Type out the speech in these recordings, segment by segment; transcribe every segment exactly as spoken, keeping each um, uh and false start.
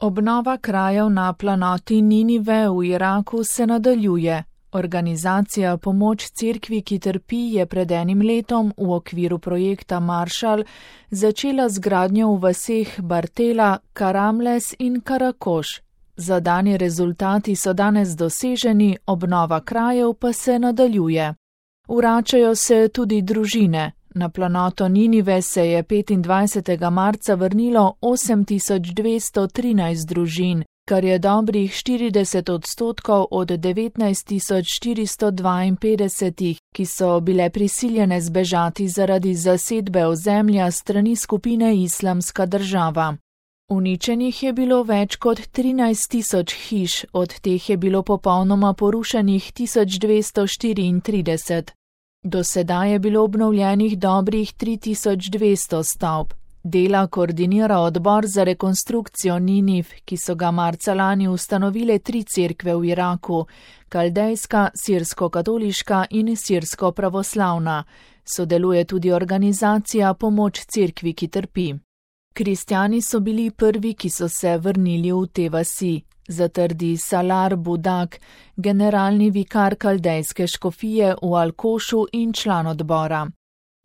Obnova krajev na planoti Ninive v Iraku se nadaljuje. Organizacija Pomoč cerkvi, ki trpi, je pred enim letom v okviru projekta Marshall začela z gradnjo v vaseh Bartela, Karamles in Karakoš. Zadani rezultati so danes doseženi, obnova krajev pa se nadaljuje. Vračajo se tudi družine. Na planoto Ninive se je petindvajsetega marca vrnilo osem tisoč dvesto trinajst družin, kar je dobrih štirideset odstotkov od devetnajst tisoč štiristo dvainpetdeset, ki so bile prisiljene zbežati zaradi zasedbe ozemlja strani skupine Islamska država. Uničenih je bilo več kot trinajst tisoč hiš, od teh je bilo popolnoma porušenih tisoč dvesto štiriintrideset. Do sedaj je bilo obnovljenih dobrih tri tisoč dvesto stavb. Dela koordinira odbor za rekonstrukcijo Niniv, ki so ga marca lani ustanovile tri cerkve v Iraku, kaldejska, sirsko-katoliška in sirsko-pravoslavna. Sodeluje tudi organizacija Pomoč cerkvi, ki trpi. Kristjani so bili prvi, ki so se vrnili v te vasi, zatrdi Salar Budak, generalni vikar kaldejske škofije v Alkošu in član odbora.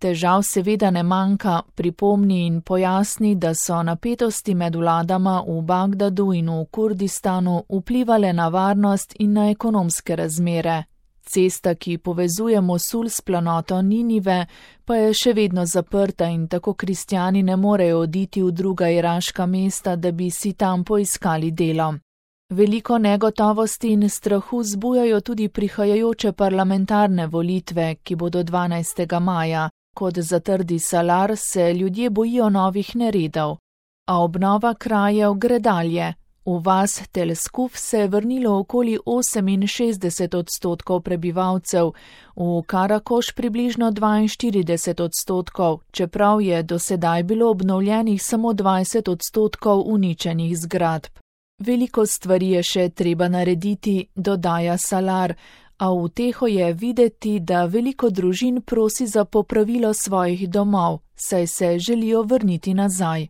Težav seveda ne manjka, pripomni in pojasni, da so napetosti med vladama v Bagdadu in v Kurdistanu vplivale na varnost in na ekonomske razmere. Cesta, ki povezuje Mosul s planoto Ninive, pa je še vedno zaprta in tako kristjani ne morejo oditi v druga iraška mesta, da bi si tam poiskali delo. Veliko negotovosti in strahu zbujajo tudi prihajajoče parlamentarne volitve, ki bodo dvanajstega maja. Kot zatrdi Salar, se ljudje bojijo novih neredov. A obnova krajev gre dalje. V vas Tel Skuf se je vrnilo okoli oseminšestdeset odstotkov prebivalcev, v Karakoš približno dvainštirideset odstotkov, čeprav je do sedaj bilo obnovljenih samo dvajset odstotkov uničenih zgradb. Veliko stvari je še treba narediti, dodaja Salar, a v uteho je videti, da veliko družin prosi za popravilo svojih domov, saj se želijo vrniti nazaj.